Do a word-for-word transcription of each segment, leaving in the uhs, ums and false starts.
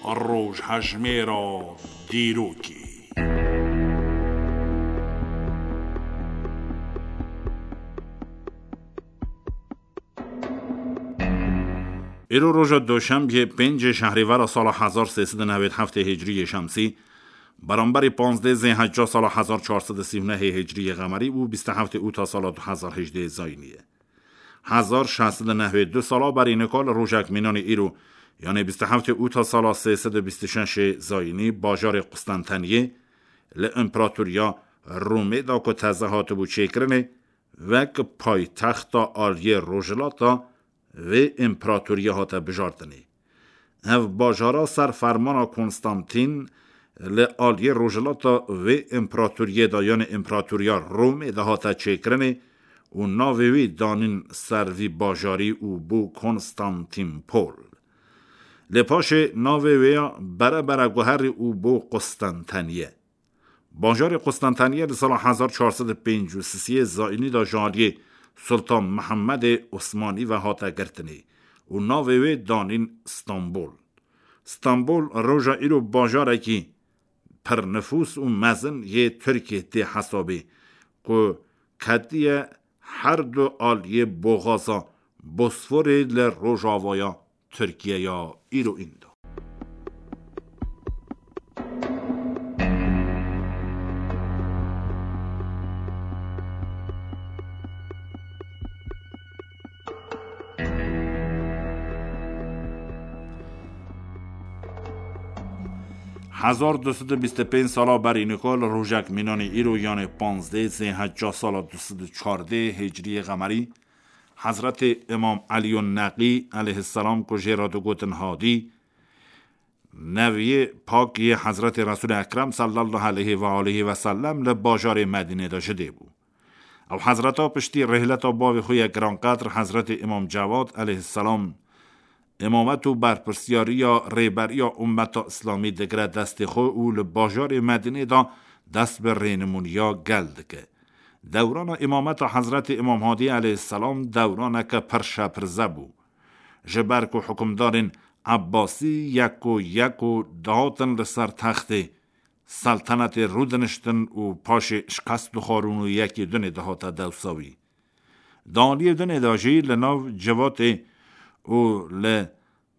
Rojhejmêra dîrokê. Îro roja doşembiyê, pêncê şehrîvera sala hezar sê sed û newêd heftê hicriyê şemsî, beramberî panzdê zêhecca sala hezar çar sed û sî û nehê hicriyê qemerî û bîst û heftê ûta sala du hezar hejdê zayînî ye. Hezar şeş sed û newêd du sala berî nika li rojek mînanê îro, yanê bîst û heftê ûta sala sê sed û bîst û şeşê zayînî, bajarê Qustenteniyê li Împeratoriya Romê de ku teze hatibû çêkirinê, wek paytexta aliyê rojhilata vê împeratoriyê hate bijartinê. Ev bajara ser fermana Konstantîn li aliyê rojhilata vê împeratoriyê de, yanê Împeratoriya Romê de hate çêkirinê û navê wî danîn ser vî bajarî û bû Konstantînpol. Lê paşê navê wê ya bere bere guherî û bû Qustenteniye. Bajarê Qustenteniye li sala hezar çar sed û pêncî û sisê zayînî de ji aliyê Sultan Mihemedê Osmanî ve hate girtinê û navê wê danîn Stenbol. Stenbol roja îro bajarekî pirnifûs û mezin yê Tirkiyê tê hesabê, ku ketiye her du aliyê boxaza Bosforê li rojavaya Tirkiyeya îro îndo. Hezar du sed û bîst û pênc sala berî nika li rojek mînanê îro, yanê panzdeh zêhecca sala du sed û çardeh hicriyê qemerî, Hezretê Îmam Elîyun Neqî aleyhisselam ku jê re digotin Hadî, neviyê pak yê Hezretê Resûlê Ekrem sallallahu aleyhi ve aleyhi ve sellem li bajarê Medînê de ji dê bû. Ew hezreta piştî rêhleta bavê xwe yê giranqedr Hezretê Îmam Cewad aleyhisselam îmamet û berpirsiyariya rêberiya ummeta Îslamî digire destê xwe û li bajarê Medînê de dest bi rênimûniya gel dike. Dewrana îmameta Hezretê Îmam Hadî aleyhisselam dewraneke pir şepirze bû. Ji ber ku hukimdarên Ebbasî yeko yeko dihatin li ser textê seltenetê rûdiniştin û paşê şikest dixwarin û yekê dinê dihate dewsa wî. Di aliyê dinê de jî li nav civatê û li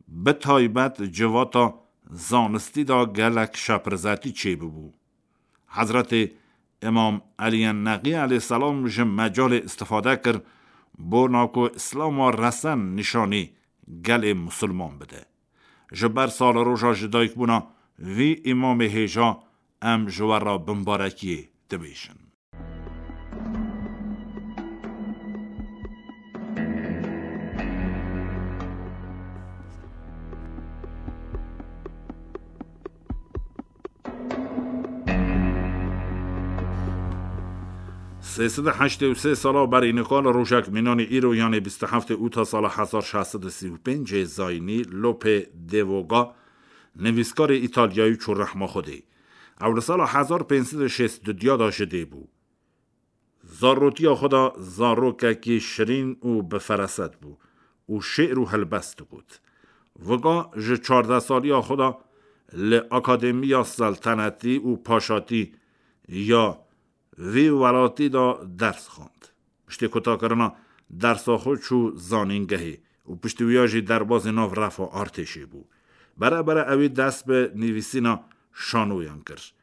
bi taybet civata zanistî de gelek şepirzetî çêbibû. Hezretê Îmam Elî Neqî aleyhisselam ji mecalê îstifade kir, bona ku Îslama resen nîşanî gelê misilman bide. Ji ber saleroja ji dayikbûna vî îmamê hêja em ji we re bimbarekiyê dibêjin. Sê sed û heştê û sê sala berî nika li rojek mînanê îro, yanê bîst û heftê ûta sala hezar şeş sed û sî û pêncê zayînî, Lope de Vega nivîskarê Îtalyayî çû rehma Xwedê. Ew li sala hezar pênc sed û şêst û diduya de ji dê bû. Zarotiya xwe de zarokekî şirîn û bi feraset bû û şê'r û helbest digot. Vega ji çardeh saliya xwe de li Akademiya Seltenetî û Paşatî ya vî welatî de ders xwend. Piştî kutakirina dersa xwe çû zanîngehê û piştî wiya jî derbazî nav refa artêşê bû. Bere bere ewî dest bi nivîsîna şanoyan kir,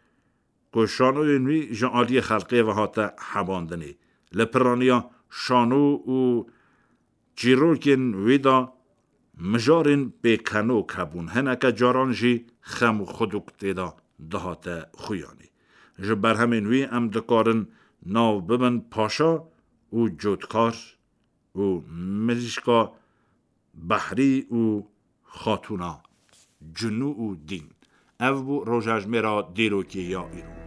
ku şanoyên wî ji aliyê xelkê ve hate hebandinê. Li piraniya şano û çîrokên wî de mijarên pêkenok hebûn, hineke caran jî xem û xuduk tê de dihate xuyanê. Ji berhemên wî em dikarin nav bibin Paşa û Cotkar û Mirîşka Behrî û Xatûna Cunû û Dîn. Ev bû rojejmêra dîrokê ya îro.